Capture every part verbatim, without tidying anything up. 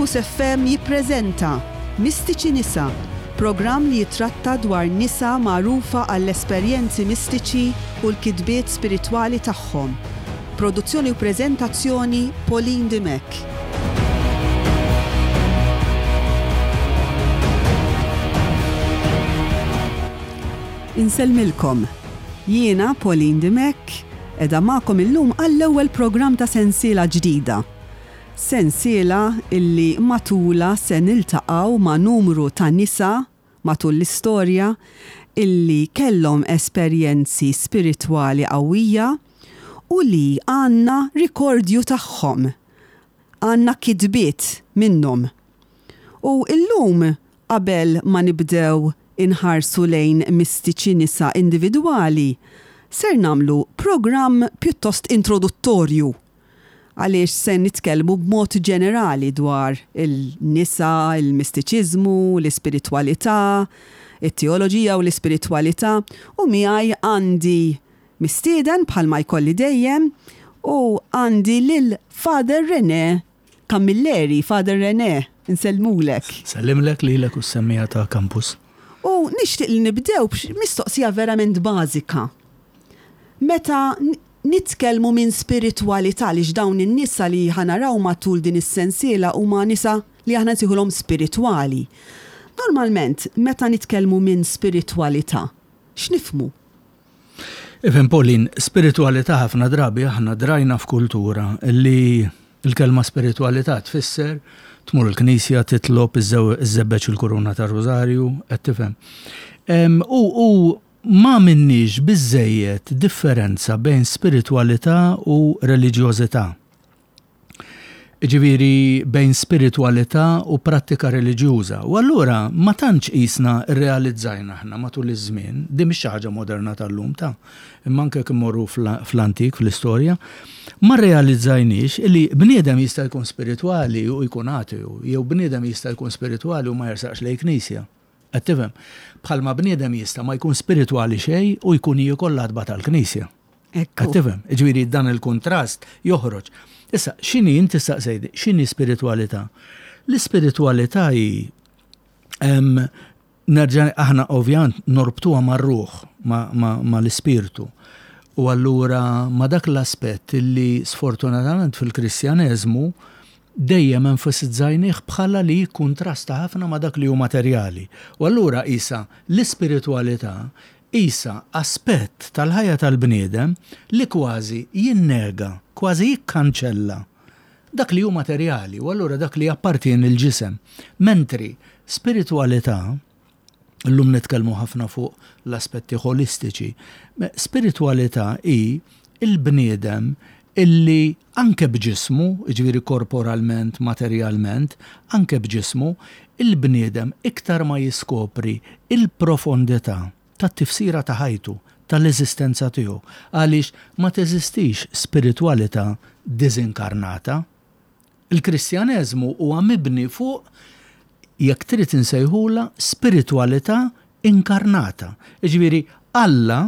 Campus F M jippreżenta Mistiċi Nisa, programm li jitratta dwar nisa magħrufa għall-esperjenzi mistiċi u l-kitbiet spiritwali tagħhom. Produzzjoni u preżentazzjoni, Pauline Dimech. Insellmilkom. Jiena Pauline Dimech, qiegħda magħkom illum għall-ewwel programm ta' sensiela ġdida. Sensiela illi matula se niltaqgħu ma' numru ta' nisa matul l-istorja illi kellhom esperjenzi spiritwali qawwija u li għandna rikordju tagħhom. Għandna kitbiet minnhom. U illum, qabel ma nibdew inħarsu lejn mistiċi nisa individwali, ser nagħmlu programm pjuttost introduttorju għaliex se nitkellmu b'mod ġenerali dwar il-nisa, il-mistiċiżmu, l-ispiritwalità, it-teoloġija u l-ispiritwalità, u miegħi għandi mistieden bħalma jkolli dejjem u għandi lil Father René Camilleri. Father René, insellmulek. Sellimlek lilek u s-semmiegħa ta' Campus. U nixtieq li nibdew mistoqsija verament bażika. Meta nitkellmu minn spiritwalità, li dawn in-nisa li ħa naraw matul din is-sensiela huma nisa li aħna nsejħulhom spiritwali. Normalment, meta nitkellmu minn spiritwalità, x'nifhmu? Ifhem, Pauline, spiritwalità, ħafna drabi aħna drajna f'kultura li il-kelma spiritwalità tfisser tmur il-knisja, titlob, iżżebbeġ il-kuruna ta' Rożarju, qed tifhem? U u ma minniex biżejjed differenza bejn spiritwalità u reliġjożità. Ġifieri bejn spiritwalità u prattika reliġjuża. U allura ma tantx qisna rrealizzajna aħna matul iż-żmien, din mhix xi ħaġa moderna tal-lum ta', imma anke kif morru fl-antik, fl-istorja, ma rrealizzajniex li bniedem jista' jkun spiritwali u jkun ateu, jew bniedem jista' jkun spiritwali u ma jersaqx lejn knisja. Qed tifhem? Bħalma bniedem jista' ma jkun spiritwali xejn u jkun jiekol l-għatba tal-knisja. Qed tifhem? Ġifieri dan il-kontrast joħroġ. Issa, x'inhi, inti staqsejt, x'inhi spiritwalità? L-ispiritwalità hi, nerġa', aħna ovvjament norbtuha mar-ruħ, ma l-ispirtu. U allura ma dak l-aspett li sfortunatament fil-Kristjaneżmu dejjem enfasizzajnih bħala li jikkuntrasta ħafna ma dak li hu materjali. U allura isa l-ispiritwalità isa aspett tal-ħajja tal-bniedem li kważi jinnega, kważi jikkanċella dak li hu materjali u allura dak li jappartieni il-ġisem. Mentri spiritualità, illum nitkellmu ħafna fuq l-aspetti holistiċi, spiritualità hi il-bniedem illi anke b'ġismu, ġifieri korporalment, materjalment, anke b'ġismu, il-bniedem iktar ma jiskopri il-profondità tat-tifsira ta' ħajtu, tal-eżistenza tiegħu, għaliex ma teżistix spiritualità diżinkarnata. Il-Kristjaneżmu huwa mibni fuq, jekk trid insejħula, spiritualità inkarnata. Ġifieri Alla,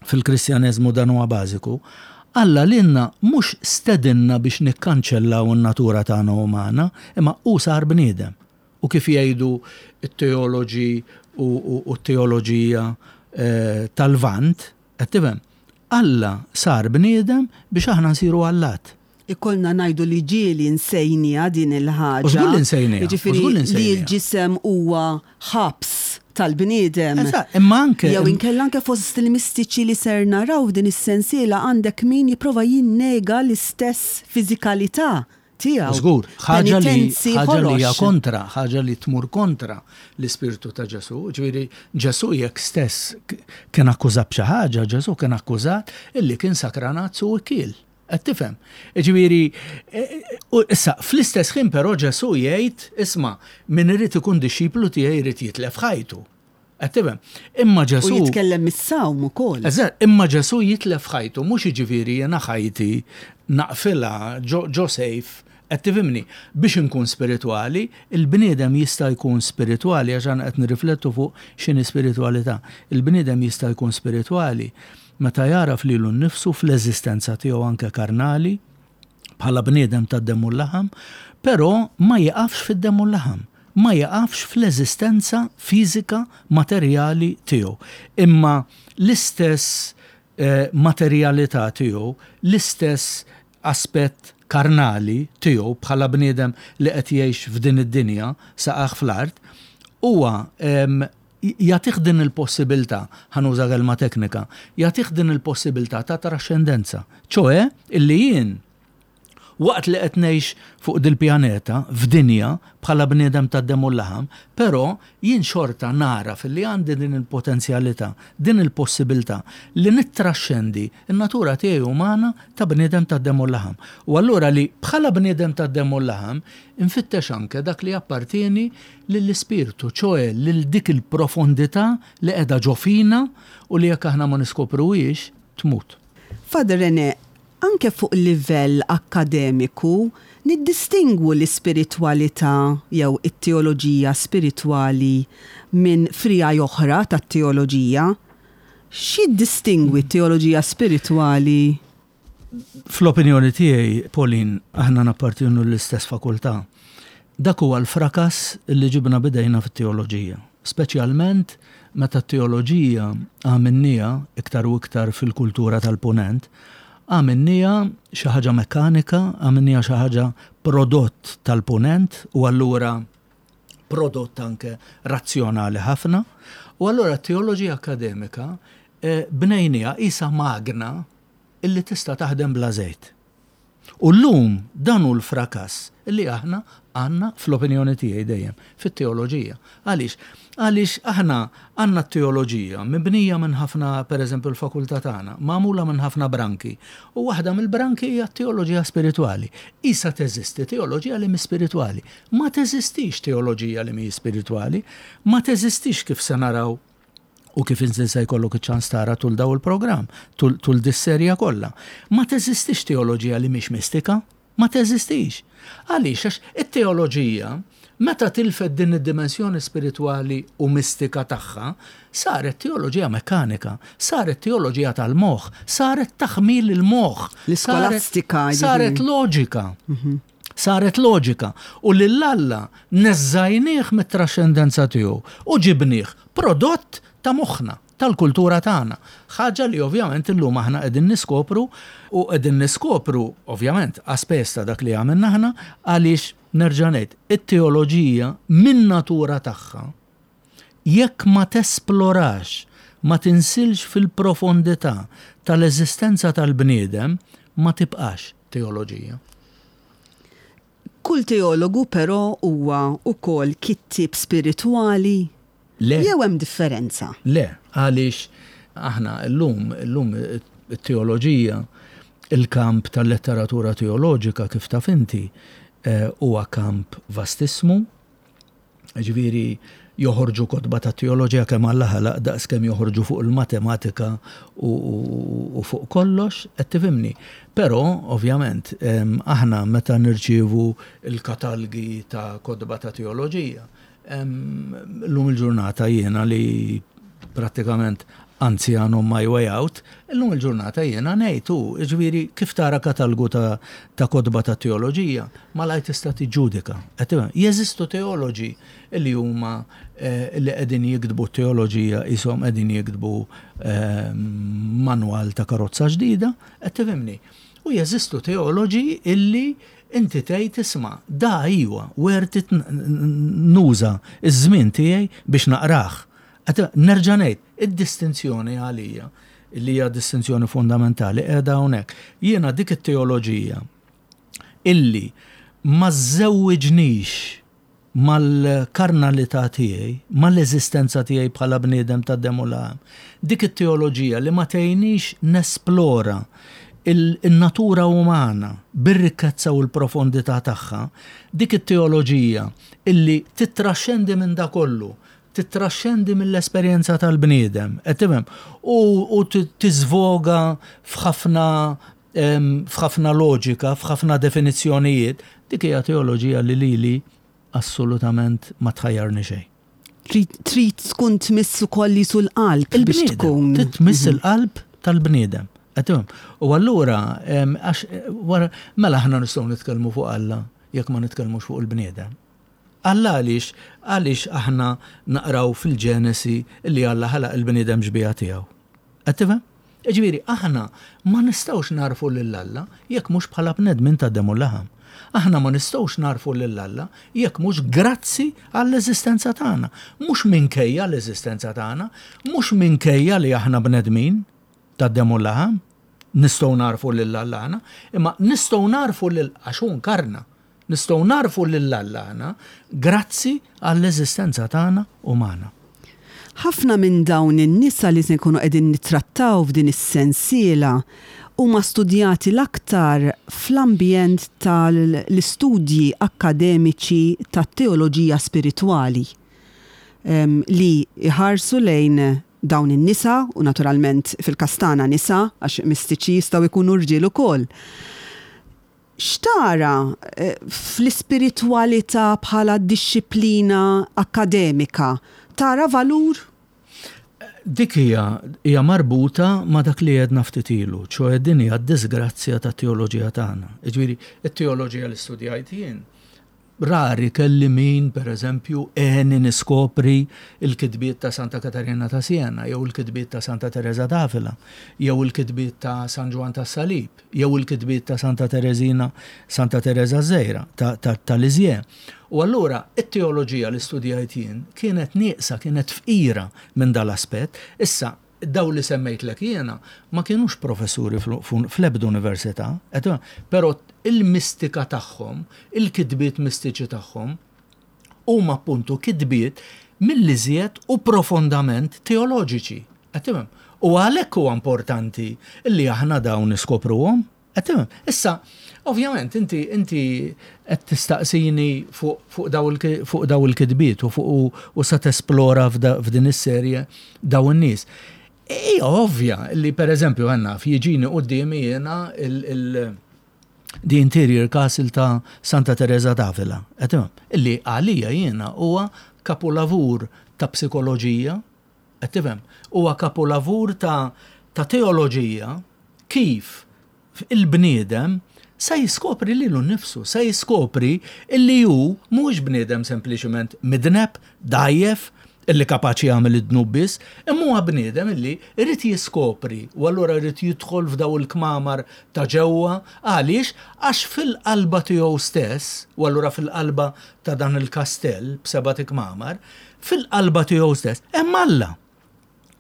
fil-Kristjaneżmu dan huwa bażiku, Alla lilna mhux stedinna biex nikkanċellaw in-natura tagħna umana, imma hu sar bniedem. U kif jgħidu t-teoloġi u t-teoloġija eh, tal-Vant, qed tifhem? Alla sar bniedem biex aħna nsiru allat. Ikollna ngħidu li ġieli nsejnieha din il-ħaġa. U żgur li nsejnieha, u Jiġifieri żgur li li nsejnieha. l-ġisem huwa ħabs tal-bniedem. Eżatt, imma anke Jew inkella anke fost il-mistiċi li ser naraw din is-sensiela għandek min jipprova jinnega l-istess fiżikalità tiegħu. Żgur, ħaġa li Penitenzi ħaġa li hija ħorox. kontra, ħaġa li tmur kontra l-ispirtu ta' Ġesu. Ġifieri Ġesu jekk stess k- kien akkużat b'xi ħaġa, Ġesu kien akkużat illi kien sakranazzu u kiel. Qed tifhem? Ġifieri, e, u issa fl-istess ħin però Ġesu jgħid, isma', min irid ikun dixxiplu tiegħi jrid jitlef ħajtu. Qed tifhem? Imma U Ġesu jitkellem mis-sawm ukoll. Eżatt, imma Ġesu jitlef ħajtu, mhux jiġifieri jiena ħajti naqfilha ġo, ġo sejf, qed tifhimni, biex inkun spiritwali, il-bniedem jista' jkun spiritwali, għax aħna qed nirriflettu fuq x'inhi spiritwalità. Il-bniedem jista' jkun spiritwali meta jaraf lilu nnifsu fl-eżistenza tiegħu anke karnali bħala bniedem tad-demm u l-laħam, però ma jiqafx fid-demm u l-laħam, ma jiqafx fl-eżistenza fiżika materjali tiegħu. Imma l-istess eh, materjalità tiegħu, l-istess aspett karnali tiegħu bħala bniedem li qed jgħix f'din id-dinja saqajh fl-art, huwa jagħtih din il-possibilità, ħa nuża kelma teknika, jagħtih din il-possibilità ta' traxxendenza. ċoè illi jien waqt li qed ngħix fuq dil-pjaneta f'dinja bħala bniedem tad-demm u l-laħam, però jien xorta nara filli għandi din il-potenzjalità, din il-possibilità li nittraxxendi n-natura tiegħi umana ta' bniedem tad-demm u l-laħam. U allura li bħala bniedem tad-demm u l-laħam infittex anke dak li appartieni lill-ispirtu, ċoè lil dik il-profondità li qiegħda ġo fina u li jekk aħna ma niskopruhiex tmut. Father René, anke fuq livell akkademiku niddistingwu l-ispiritwalità jew it-teoloġija spiritwali minn friegħi oħra tat-teoloġija. X'jiddistingwi t-teoloġija spiritwali? Fl-opinjoni tiegħi, Pauline, aħna nappartienu l-istess fakultà. Dak huwa l-frakas li ġibna bidejna fit-teoloġija. Speċjalment meta t-teoloġija għamilnieha iktar u iktar fil-kultura tal-punent, għamilnieha xi ħaġa mekkanika, għamilnieha xi ħaġa prodott tal-punent u allura prodott anke razzjonali ħafna. U allura t-teoloġija akademika eh, bnejnieha qisha magna illi tista' taħdem bla żejt. U llum dan hu l-frakas illi aħna għandna fl-opinjoni tiegħi dejjem fit-teoloġija. Għaliex? Għaliex aħna għandna t-teoloġija mibnija minn ħafna, pereżempju l-fakultà tagħna, magħmula minn ħafna branki. U waħda mill-branki hija t-teoloġija spiritwali. Issa teżisti teoloġija li mhi spiritwali. Ma teżistix teoloġija li mhi spiritwali, ma teżistix kif se naraw u kif inżil se jkollok iċ-ċans tara tul daw il-programm, tul, tul dis-serja kollha. Ma teżistix teoloġija li mhix mistika, ma teżistix. Għaliex għax it-teoloġija meta tilfet din id-dimensjoni spiritwali u mistika tagħha, saret teoloġija mekkanika, saret teoloġija tal-moħħ, saret taħmil il-moħħ, L-iskolastika, saret, saret loġika. Saret loġika u lil Alla neżżajnieh mit-traxxendenza tiegħu u ġibnieh prodott ta' moħħna, tal-kultura tagħna. Ħaġa li ovvjament illum aħna qegħdin niskopru u qegħdin niskopru ovvjament aspess ta' dak li għamilna aħna għaliex nerġa' ngħid it-teoloġija min natura tagħha jekk ma tesplorax, ma tinsilx fil-profondità tal-eżistenza tal-bniedem, ma tibqax teoloġija. Kull teologu però huwa ukoll kittieb spiritwali. Le. Jew hemm differenza? Le, għaliex aħna llum, llum it-teoloġija, il-kamp tal-letteratura teoloġika kif taf inti, eh, huwa kamp vastissmu, ġifieri joħorġu kotba ta' teoloġija kemm Alla ħalaq daqs kemm joħorġu fuq il-matematika u, u, u fuq kollox, qed tifhimni. Però, ovvjament, em, aħna meta nirċievu il-katalgi ta' kotba ta' teoloġija, em, llum il-ġurnata jiena li prattikament anzjan on my way out, illum il-ġurnata jiena ngħid hu, ġifieri kif tara katalgu ta', ta' kotba ta' teoloġija, malajr tista' tiġġudika. Qed tifhem? Jeżistu teoloġi li huma eh, li qegħdin jiktbu teoloġija qishom qegħdin jiktbu eh, manwal ta' karozza ġdida, qed tifhimni. U jeżistu teoloġi illi inti tgħid isma' da iwa worth it nuża iż-żmien tiegħi biex naqrah. Qed nerġa' ngħid, id-distinzjoni għalija li hija distinzjoni fundamentali qiegħda hawnhekk. Jiena dik it-teoloġija illi ma żewwiġnix mal-karnalità tiegħi, mal-eżistenza tiegħi bħala bniedem ta' demm u laħam, dik it-teoloġija li ma tgħinix nesplora il-natura umana bir-rikkezza u l-profondità tagħha, dik it-teoloġija illi titraxxendi minn da kollu, titraxxendi mill-esperjenza tal-bniedem, qed tifhem? U, u tiżvoga f'ħafna em, f'ħafna loġika, f'ħafna definizzjonijiet, dik hija teoloġija li lili assolutament ma tħajjarni xejn. Trid trid tkun tmiss ukoll qisu l-qalb biex Il-bniedem, tkun. Tmiss il-qalb tal-bniedem. Qed U allura, għax wara, mela aħna nistgħu nitkellmu fuq Alla jekk ma nitkellmux fuq il-bniedem. Alla għaliex, għaliex aħna naqraw fil-Ġenesi li Alla ħalaq il-bniedem xbieha tiegħu. Qed tifhem? Ġifieri, aħna ma nistgħux nagħrfu lil Alla jekk mhux bħala bnedmin ta' demm u laħam. Aħna ma nistgħux nagħrfu lil Alla jekk mhux grazzi għall-eżistenza tagħna. Mhux minkejja l-eżistenza tagħna, mhux minkejja li aħna bnedmin ta' demm u laħam, nistgħu nagħrfu lil Alla aħna, imma nistgħu nagħrfu lil għax hu nkarna. Nistgħu nagħrfu lil Alla aħna grazzi għall-eżistenza tagħna umana. Ħafna minn dawn in-nisa li se nkunu qegħdin nittrattaw f'din is-sensiela huma studjati l-aktar fl-ambjent tal-istudji akkademiċi tat-teoloġija spiritwali em, li iħarsu lejn dawn in-nisa u naturalment fil-każ tagħna nisa għax mistiċi jistgħu jkunu rġiel ukoll. X'tara eh, fl-ispiritwalità bħala dixxiplina akkademika? Tara valur? Dik hija hija marbuta ma' dak li għedna ftit ilu, ċoè din hija d-disgrazzja tat-teoloġija tagħna. Jiġifieri, it-teoloġija li studjajt jien, rari kelli min, per eżempju, għeni niskopri il-kitbiet ta' Santa Katarina ta' Siena, jew il-kitbiet ta' Santa Teresa d'Avila, jew il-kitbiet ta' San Ġwann tas-Salib, jew il-kitbiet ta' Santa Teresina, Santa Teresa Żgħira, ta', ta, ta' Lisieux. U allura, it-teoloġija li studjajt jien kienet nieqsa, kienet fqira minn dal-aspett. Issa, daw li semmejtlek jiena ma kienux professuri fl-ebda università, però il-mistika tagħhom, il-kitbiet mistiċi tagħhom, huma appuntu kitbiet mill-iżjed u profondament teoloġiċi. Qed U għalhekk huwa importanti li aħna dawn niskopruhom. Issa, ovvjament, inti inti qed tistaqsini fuq daw il-kitbiet u fuq u sa tesplora f'din is-serje daw in-nies. Hija ovvja li per eżempju għandna jiġini quddiemi jiena il- The Interior Castle ta' Santa Teresa d'Avila. Illi għalija jiena huwa kapolavur ta' psikoloġija, qed tifhem? Huwa kapolavur ta' ta' teoloġija kif il-bniedem sa jiskopri lilu nnifsu, sa jiskopri illi hu mhuwiex bniedem sempliċement midneb, dgħajjef, illi kapaċi jagħmel id-dnub biss, imma huwa bniedem illi irid jiskopri u allura jrid jidħol f'daw il-kmamar ta' ġewwa għaliex għax fil-qalba tiegħu stess, u allura fil-qalba ta' dan il-kastell b'seba' kmamar, fil-qalba tiegħu stess hemm Alla.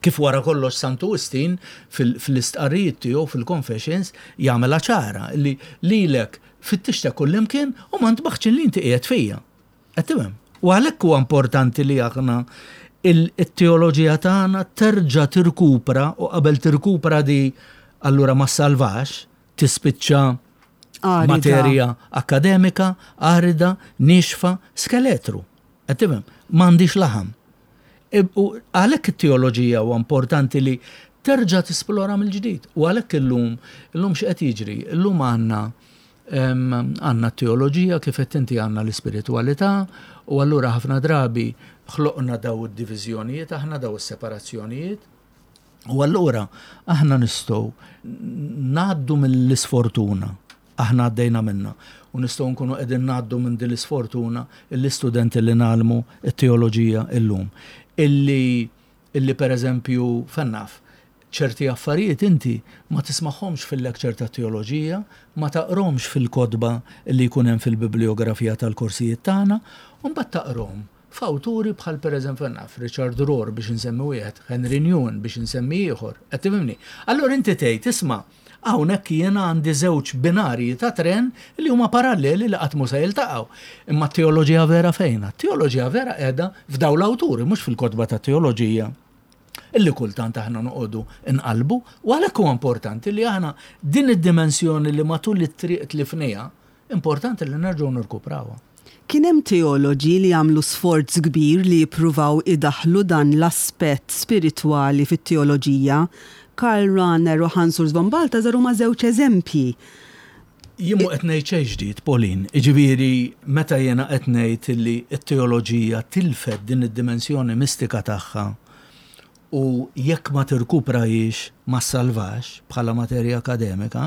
Kif wara kollox Santu Wistin fil-istqarrijiet tiegħu fil-Confessions jagħmilha ċara li lilek fittixtek kullimkien u ma ntbaħtx li inti qiegħed fija. Qed tifhem? U għalhekk huwa importanti li aħna il-teoloġija tagħna terġa' tirkupra u qabel tirkupra di allura ma salvax, tispiċċa materja akademika, arida, nixfa, skeletru. Qed tifhem? M'għandix laħam. U għalhekk it-teoloġija huwa importanti li terġa' tisplora mill-ġdid. U għalhekk illum, illum x'qed jiġri? Illum għandna għandna teoloġija kif qed inti għandna l-ispiritwalità u allura ħafna drabi ħloqna daw id-diviżjonijiet, aħna daw is-separazzjonijiet. U allura aħna nistgħu ngħaddu mill-isfortuna, aħna għaddejna minna, u nistgħu nkunu qegħdin ngħaddu minn din l-isfortuna l-istudenti li ngħallmu t-teoloġija illum. Illi, illi per eżempju, fennaf, ċerti affarijiet inti ma tismagħhomx fil-lecture ta' teoloġija, ma taqromx fil-kotba li jkun hemm fil-bibliografija tal-korsijiet tagħna, u mbagħad taqrom f'awturi bħal per eżempju naf Richard Rohr biex insemmi wieħed, Henri Nouwen biex insemmi ieħor, qed tifhimni? Allura inti tgħid isma' hawnhekk jiena għandi żewġ binarji ta' tren li huma paralleli li qatt mhu se jiltaqgħu. Imma t-teoloġija vera fejn? T-teoloġija vera qiegħda f'dawn l-awturi, mhux fil-kotba ta' teoloġija illi kultant aħna noqogħdu nqalbu, u għalhekk huwa importanti li aħna din id-dimensjoni li matul it-triq tlifniha, importanti li nerġgħu nirkuprawha. Kien hemm teoloġi li għamlu sforz kbir li jippruvaw idaħlu dan l-aspett spiritwali fit-teoloġija. Karl Rahner u Hans Urs von Balthasar huma żewġ eżempji. Jien mhu qed ngħid xejn ġdid, Pauline, jiġifieri meta jiena qed ngħid li t-teoloġija tilfet din id-dimensjoni mistika tagħha U jekk ma tirkuprahiex ma ssalvax bħala materja akademika,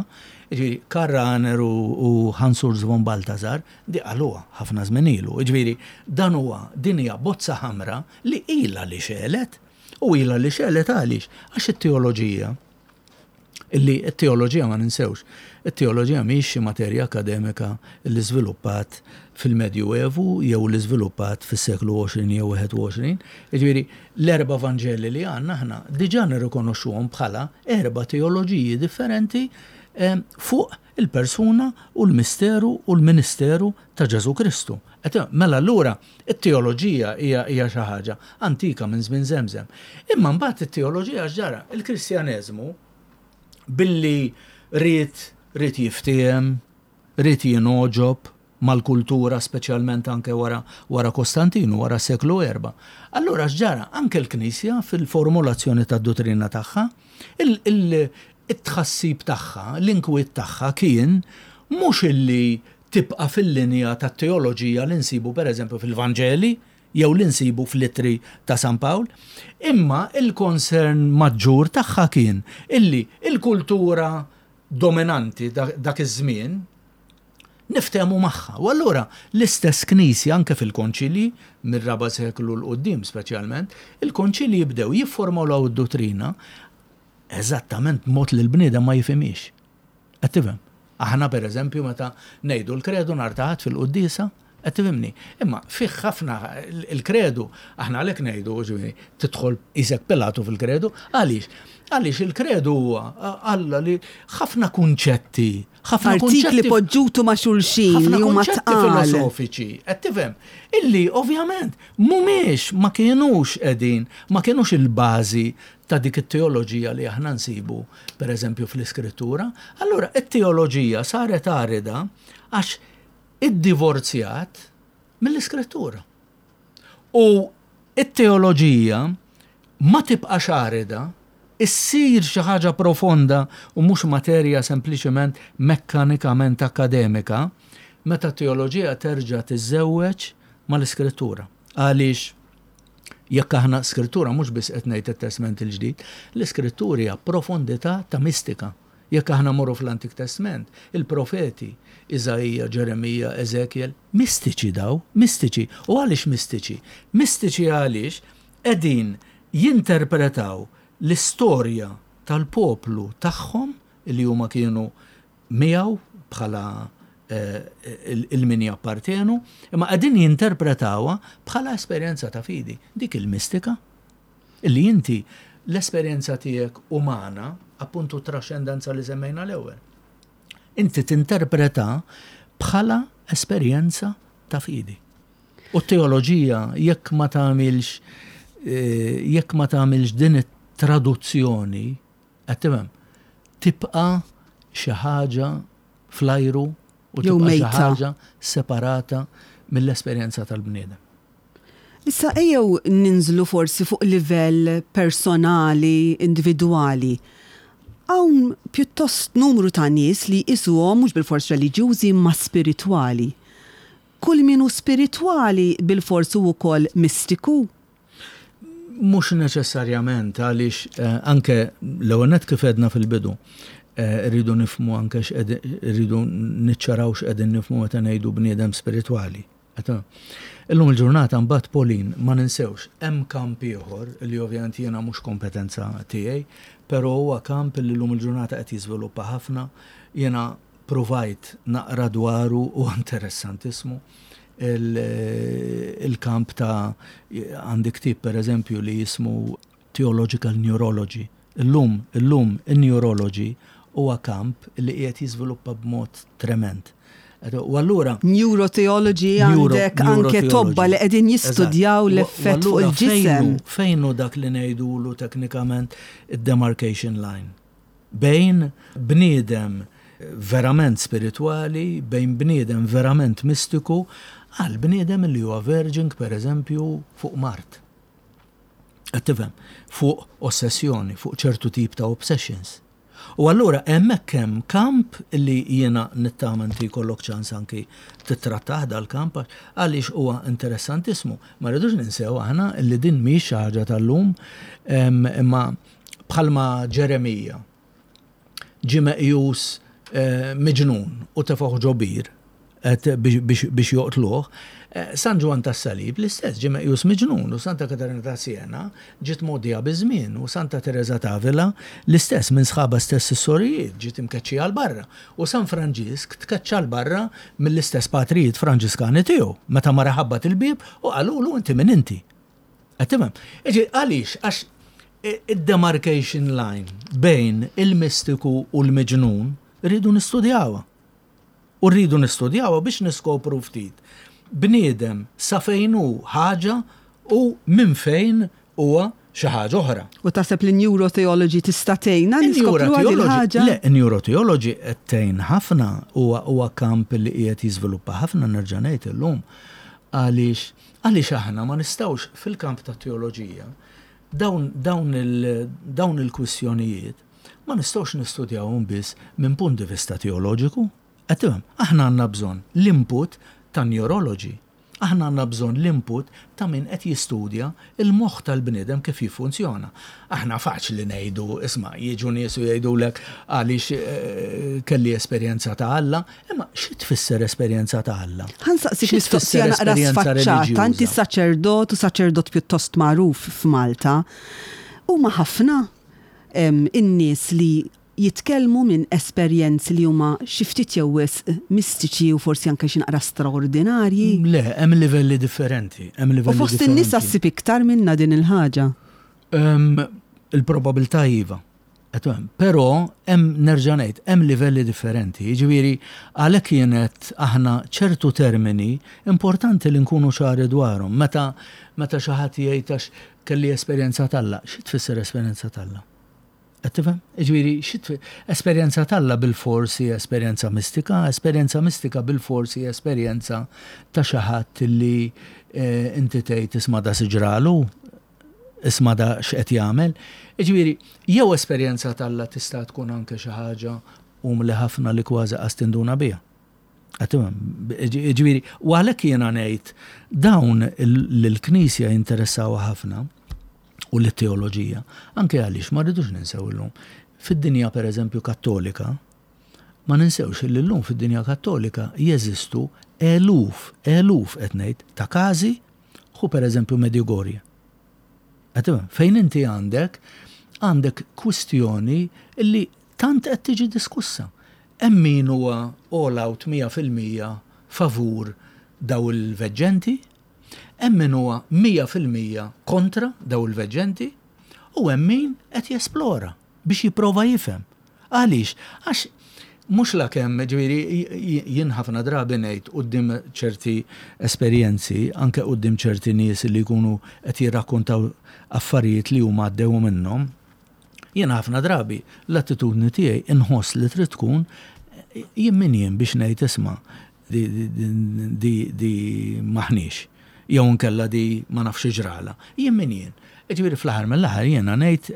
jiġifieri Karl Rahner u, u Hans Urs von Balthasar di qaluha ħafna żmien ilu. Jiġifieri dan huwa din hija bozza ħamra li ilha li xegħlet, u ilha li xegħlet għaliex? Għax it-teoloġija, illi t-teoloġija ma ninsewx, it-teoloġija mhix xi materja akademika li żviluppat fil-Medju Evu jew li żviluppat fis-seklu għoxrin jew wieħed u għoxrin. Jiġifieri l-erba' Vanġeli li għandna aħna diġà nirrikonoxxuhom bħala erba' teoloġiji differenti eh, fuq il-persuna u l-misteru u l-ministeru ta' Ġesu Kristu. Et, mela allura it-teoloġija hija hija xi ħaġa antika minn żmien żemżem. Imma mbagħad it-teoloġija x'ġara? Il-Kristjaneżmu billi ried ried jiftiehem, ried jingħoġob mal-kultura, speċjalment anke wara, wara Kostantinu, wara seklu erba. Allura x'ġara? Anke l-Knisja fil-formulazzjoni tad-dottrina tagħha, il-tħassib tagħha, l-inkwiet tagħha kien mhux illi tibqa' fil-linja tat-teoloġija li nsibu, pereżempju, fil-Vanġeli jew li nsibu fl-ittri ta' San Pawl, imma il-concern maġġur tagħha kien illi il-kultura dominanti dak iż-żmien niftehmu magħha. U allura l-istess Knisja anke fil-konċili mir-raba' seklu 'l quddiem speċjalment, il-konċili jibdew jifformulaw id-dottrina eżattament mod li l-bniedem ma jifhimix. Qed tifhem? Aħna, per eżempju, meta ngħidu l-kredu nhar ta' Ħadd fil-quddiesa, qed tifhimni? Imma fih ħafna il-kredu, aħna għalhekk ngħidu, ġifieri, tidħol isek Pilatu fil-kredu, għaliex? Għaliex il-kredu huwa Alla li ħafna kunċetti, ħafna artikli poġġutu ma' xulxin ħafna li huma kunċetti tqal. filosofiċi, qed tifhem? Illi ovvjament mhumiex, ma kienux qegħdin, ma kienux il-bażi ta' dik it-teoloġija li aħna nsibu, per eżempju, fl-Iskrittura. Allura it-teoloġija saret arida għax iddivorzjat mill-Iskrittura. U it-teoloġija ma tibqax arida, issir xi ħaġa profonda u mhux materja sempliċement mekkanikament akademika meta t-teoloġija terġa' tiżżewweġ mal-Iskrittura. Għaliex jekk aħna skrittura mhux biss qed ngħid it-Testament il-Ġdid, l-Iskrittura hija profondità ta' mistika. Jekk aħna morru fl-Antik Testament, il-profeti, Iżaija, Ġeremija, Ezekiel, mistiċi daw, mistiċi. U għaliex mistiċi? Mistiċi għaliex qegħdin jinterpretaw l-istorja tal-poplu tagħhom li huma kienu miegħu bħala eh, il-min jappartenu, imma qegħdin jinterpretawha bħala esperjenza ta' fidi. Dik il-mistika illi inti l-esperjenza tiegħek umana, appuntu trascendenza li semmejna l-ewwel. Inti tinterpreta bħala esperjenza ta' fidi. U t-teoloġija jekk ma tagħmilx eh, jekk ma tagħmilx din it-traduzzjoni, qed tifhem, tibqa' xi ħaġa fl-ajru u jew tibqa' xi mejta. ħaġa separata mill-esperjenza tal-bniedem. Issa ejjew ninżlu forsi fuq livell personali, individwali. Hawn pjuttost numru ta' nies li jqisuhom mhux bilfors reliġjużi ma spiritwali. Kull min hu spiritwali bilfors hu wkoll mistiku? Mhux neċessarjament, għaliex eh, anke l-ewwel nett, kif għedna fil-bidu, eh, rridu nifhmu anke x'qegħdin, rridu niċċaraw x'qegħdin nifhmu meta ngħidu bniedem spiritwali. Qed- Illum il-ġurnata mbagħad, Pauline, ma ninsewx hemm kamp ieħor li ovvjament jiena mhux kompetenza tiegħi, però huwa kamp li llum il-ġurnata qed jiżviluppa ħafna. Jiena provajt naqra dwaru u interessantissimu il-kamp ta' għandi ktieb, per eżempju, li jismu Theological Neurology. Illum, illum in-neurology huwa kamp li qiegħed jiżviluppa b'mod trement. U allura Neurotheology, għandek anke tobba li qegħdin jistudjaw l-effett fuq il-ġisem. Fejn hu dak li ngħidulu teknikament id-demarcation line? Bejn bniedem verament spiritwali, bejn bniedem verament mistiku, għal bniedem li huwa verging, per eżempju, fuq mard. Qed tifhem? Fuq ossessjoni, fuq ċertu tip ta' obsessions. U allura hemmhekk hemm kamp li jiena nittama inti jkollok ċans anki titrattah dal-kamp, għaliex huwa interessantissmu. Ma rridux ninsew aħna li din mhix xi ħaġa tal-lum, imma bħalma Ġeremija ġie meqjus eh, miġnun u tefgħuh ġo bir biex joqtluh, San Ġwann tas-Salib l-istess ġie meqjus miġnun, u Santa Katarina ta' Siena ġiet mgħoddija biż-żmien, u Santa Tereża ta' Avila l-istess minn sħabha stess is-sorijiet ġiet imkeċċija 'l barra, u San Franġisk tkeċċa 'l barra mill-istess patrijiet Franġiskani tiegħu meta mar ħabbat il-bieb u qalulu inti min inti. Qed tifhem? Għaliex? Għax id-demarcation line bejn il-mistiku u l-miġnun rridu nistudjawha. U rridu nistudjawha biex niskopru ftit bniedem sa fejn hu ħaġa u minn fejn huwa xi ħaġa oħra. U taħseb li neurotheology tista' tgħinna niskopru ħaġa? Le, neurotheology qed tgħin ħafna, huwa huwa kamp li qiegħed jiżviluppa ħafna, nerġa' ngħid illum, għaliex għaliex aħna ma nistgħux fil-kamp ta' teoloġija dawn dawn il dawn il-kwistjonijiet ma nistgħux nistudjawhom biss minn punt di vista teoloġiku. Qed tifhem? Aħna għandna bżonn l-input ta' neurology. Aħna għandna bżonn l-input ta' min qed jistudja il-moħħ tal-bniedem kif jiffunzjona. Aħna faċli ngħidu, isma', jiġu nies u jgħidulek għaliex kelli esperjenza ta' Alla, imma xi tfisser esperjenza ta' Alla? Ħa nsaqsik mistoqsija naqra sfaċċata, inti saċerdot u saċerdot pjuttost magħruf f'Malta. Huma ħafna in-nies li jitkellmu minn esperjenzi li huma xi ftit jew wisq mistiċi u forsi anke xi naqra straordinarji? Le, hemm livelli differenti, hemm livelli U fost in-nisa ssib iktar minna din il-ħaġa? Il-probabilità iva. Però hemm, nerġa' ngħid, hemm livelli differenti. Jiġifieri għalhekk kienet aħna ċertu termini importanti li nkunu ċari dwarhom. Meta meta xi ħadd jgħid għax kelli esperjenza t'Alla, xi tfisser esperjenza t'Alla? Qed tifhem? Jiġifieri xi esperjenza t'Alla bil-forsi esperjenza mistika, esperjenza mistika bil-forsi esperjenza ta' xi ħadd li inti tgħid isma' da siġralu, isma' da x'qed jagħmel. Jiġifieri jew esperjenza t'Alla tista' tkun anke xi ħaġa umli ħafna li kważi qas tinduna biha. Qed tifhem? Jiġifieri u għalhekk jiena ngħid dawn lill-Knisja jinteressawha ħafna u l-teoloġija, anke għaliex ma rridux ninsew illum. Fid-dinja pereżempju Kattolika, ma ninsewx li llum fid-dinja Kattolika jeżistu eluf, eluf qed ngħid ta' każi, hu pereżempju Medjugorje. Qed tifhem? Fejn inti għandek għandek kwistjoni li tant qed tiġi diskussa. Hemm min huwa all out mija fil-mija favur daw il-veġġenti, hemm min huwa mija fil-mija kontra daw il-veġġenti, u hemm min qed jesplora biex jipprova jifhem. Għaliex? Għax mhux la kemm, ġifieri, jien ħafna drabi ngħid quddiem ċerti esperjenzi, anke quddiem ċerti nies li jkunu qed jirrakkontaw affarijiet li huma għaddew minnhom, jien ħafna drabi l-attitudni tiegħi inħoss li trid tkun jien min jien biex ngħid isma' di, di, di, di maħniex, jew nkella di ma nafx ġrala. Jien min jien. Ġifieri fl-aħħar mill-aħħar jiena ngħid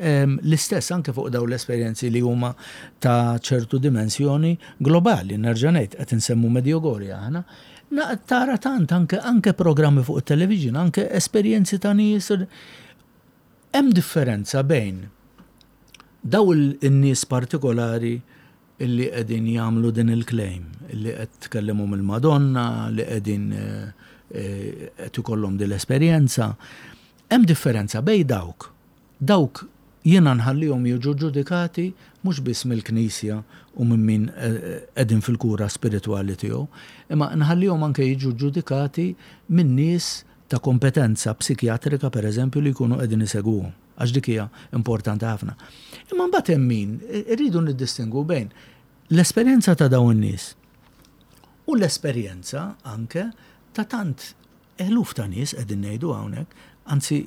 l-istess anke fuq dawn l-esperjenzi li huma ta' ċertu dimensjoni globali. Nerġa' ngħid qed insemmu Medjugorje aħna. Tara tant anke, anke programmi fuq it-television, anke esperjenzi ta' nies. Hemm differenza bejn daw in-nies partikolari illi qegħdin jagħmlu din il-claim, illi qed tkellmu mill-Madonna, li qegħdin qed ikollhom din l-esperjenza. Hemm differenza bejn dawk. Dawk jiena nħallihom jiġu ġudikati mhux biss mill-Knisja u minn min qegħdin fil-kura spiritwali tiegħu, imma nħallihom anke jiġu ġudikati minn nies ta' kompetenza psikjatrika pereżempju li jkunu qegħdin isegwuhom, għax dik hija importanti ħafna. Imma mbagħad hemm min irridu niddistingwu bejn l-esperjenza ta' dawn in-nies u l-esperjenza anke ta' tant eluf ta' nies qegħdin ngħidu hawnhekk, anzi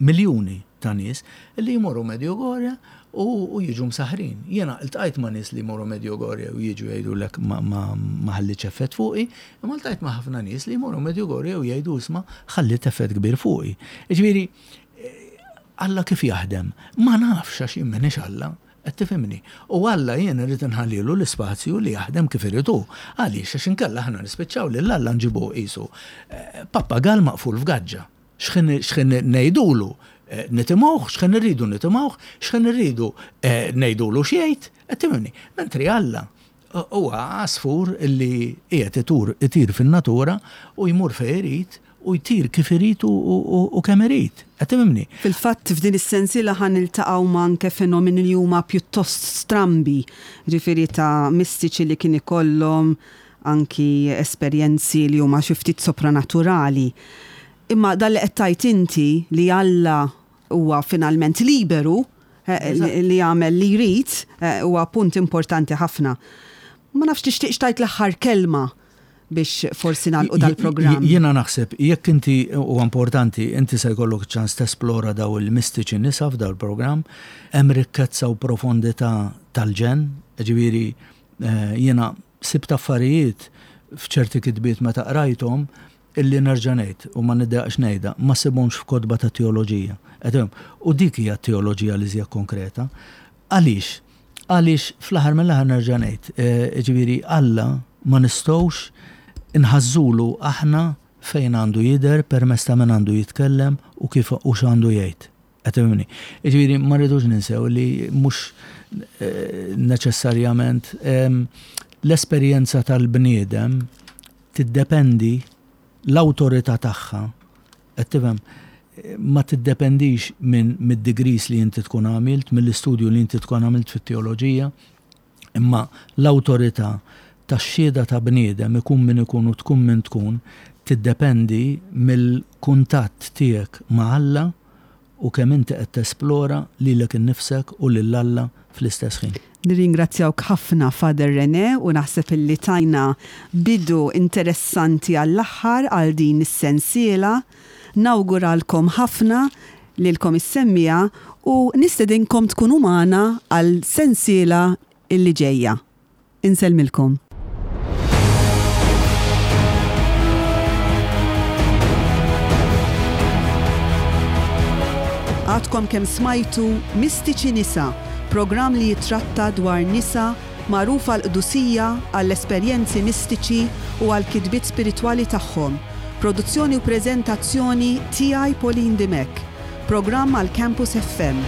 miljuni ta' nies li jmorru Medjugorje u, u jiġu msaħrin. Jiena ltqajt ma' nies li jmorru Medjugorje u jiġu jgħidulek ma, ma, ma ħallitx effett fuqi, imma ltqajt ma' ħafna nies li jmorru Medjugorje u jgħidu isma' ħallit effett kbir fuqi. Jiġifieri, Alla kif jaħdem? Ma nafx għax jien m'iniex Alla. Qed tifhimni? U Alla jien irrid inħallilu l-ispazju li jaħdem kif irid hu. Għaliex? Għax inkella aħna nispiċċaw lil Alla nġibuh qisu pappagal maqful f'gaġġa. X'ħin x'ħin ngħidulu nitimgħuh, x'ħin irridu nitimgħuh, x'ħin irridu ngħidulu x'jgħid, qed tifhimni? Mentri Alla huwa għasfur illi qiegħed itur itir fin-natura u jmur fejn irid u jtir kif irid u kemm irid. Qed tifhimni? Fil-fatt f'din is-sensiela ħa niltaqgħu ma' anke fenomeni li huma pjuttost strambi, ġifieri ta' mistiċi li kien ikollhom anki esperjenzi li huma xi ftit sopranaturali. Imma dan li qed tgħid inti li Alla huwa finalment liberu li jagħmel li jrid huwa punt importanti ħafna. Ma nafx tixtieqx tgħid l-aħħar kelma biex forsi nagħlqu dal-programm. Jiena naħseb, jekk inti huwa importanti, inti se jkollok ċans tesplora daw il-mistiċi nisa f'dal programm, hemm rikkezza u profondità tal-ġenn, ġifieri jiena sibt affarijiet f'ċerti kitbiet meta qrajthom illi nerġa' ngħid u ma niddejjaqx ngħidha, ma ssibhomx f'kotba ta' teoloġija. U dik hija teoloġija li żjed konkreta. Għaliex? Għaliex fl-aħħar mill-aħħar nerġa' ngħid, ġifieri Alla ma nistgħux inħażżulu aħna fejn għandu jidher, permezz ta' min għandu jitkellem u kif u x'għandu jgħid. Qed tifhimni? Jiġifieri ma rridux ninsew li mhux neċessarjament l-esperjenza tal-bniedem tiddependi l-awtorità tagħha, qed tifhem, ma tiddependix minn mid-degrees li inti tkun għamilt, mill-istudju li inti tkun għamilt fit-teoloġija, imma l-awtorità tax-xhieda ta' bniedem ikun min ikun u tkun min tkun tiddependi mill-kuntatt tiegħek ma' Alla u kemm inti qed tesplora lilek innifsek u lil Alla fl-istess ħin. Nirringrazzjawk ħafna Father René u naħseb illi tajna bidu interessanti għall-aħħar għal din is-sensiela. Nawguralkom ħafna lilkom is-semmiegħa u nistedinkom tkunu magħna għal sensiela illi ġejja. Insellmilkom. Għadkom kemm smajtu Mistiċi Nisa, programm li jitratta dwar nisa magħrufa għall-qdusija, għall-esperjenzi mistiċi u għall-kitbiet spiritwali tagħhom. Produzzjoni u preżentazzjoni tiegħi Pauline Dimech. Programm għal Campus F M.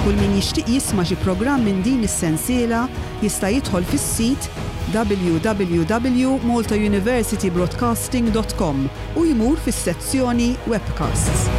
Kull min jixtieq jisma' xi programm minn din is-sensiela jista' jidħol fis-sit w w w dot malta university broadcasting dot com u jmur fis-sezzjoni webcasts.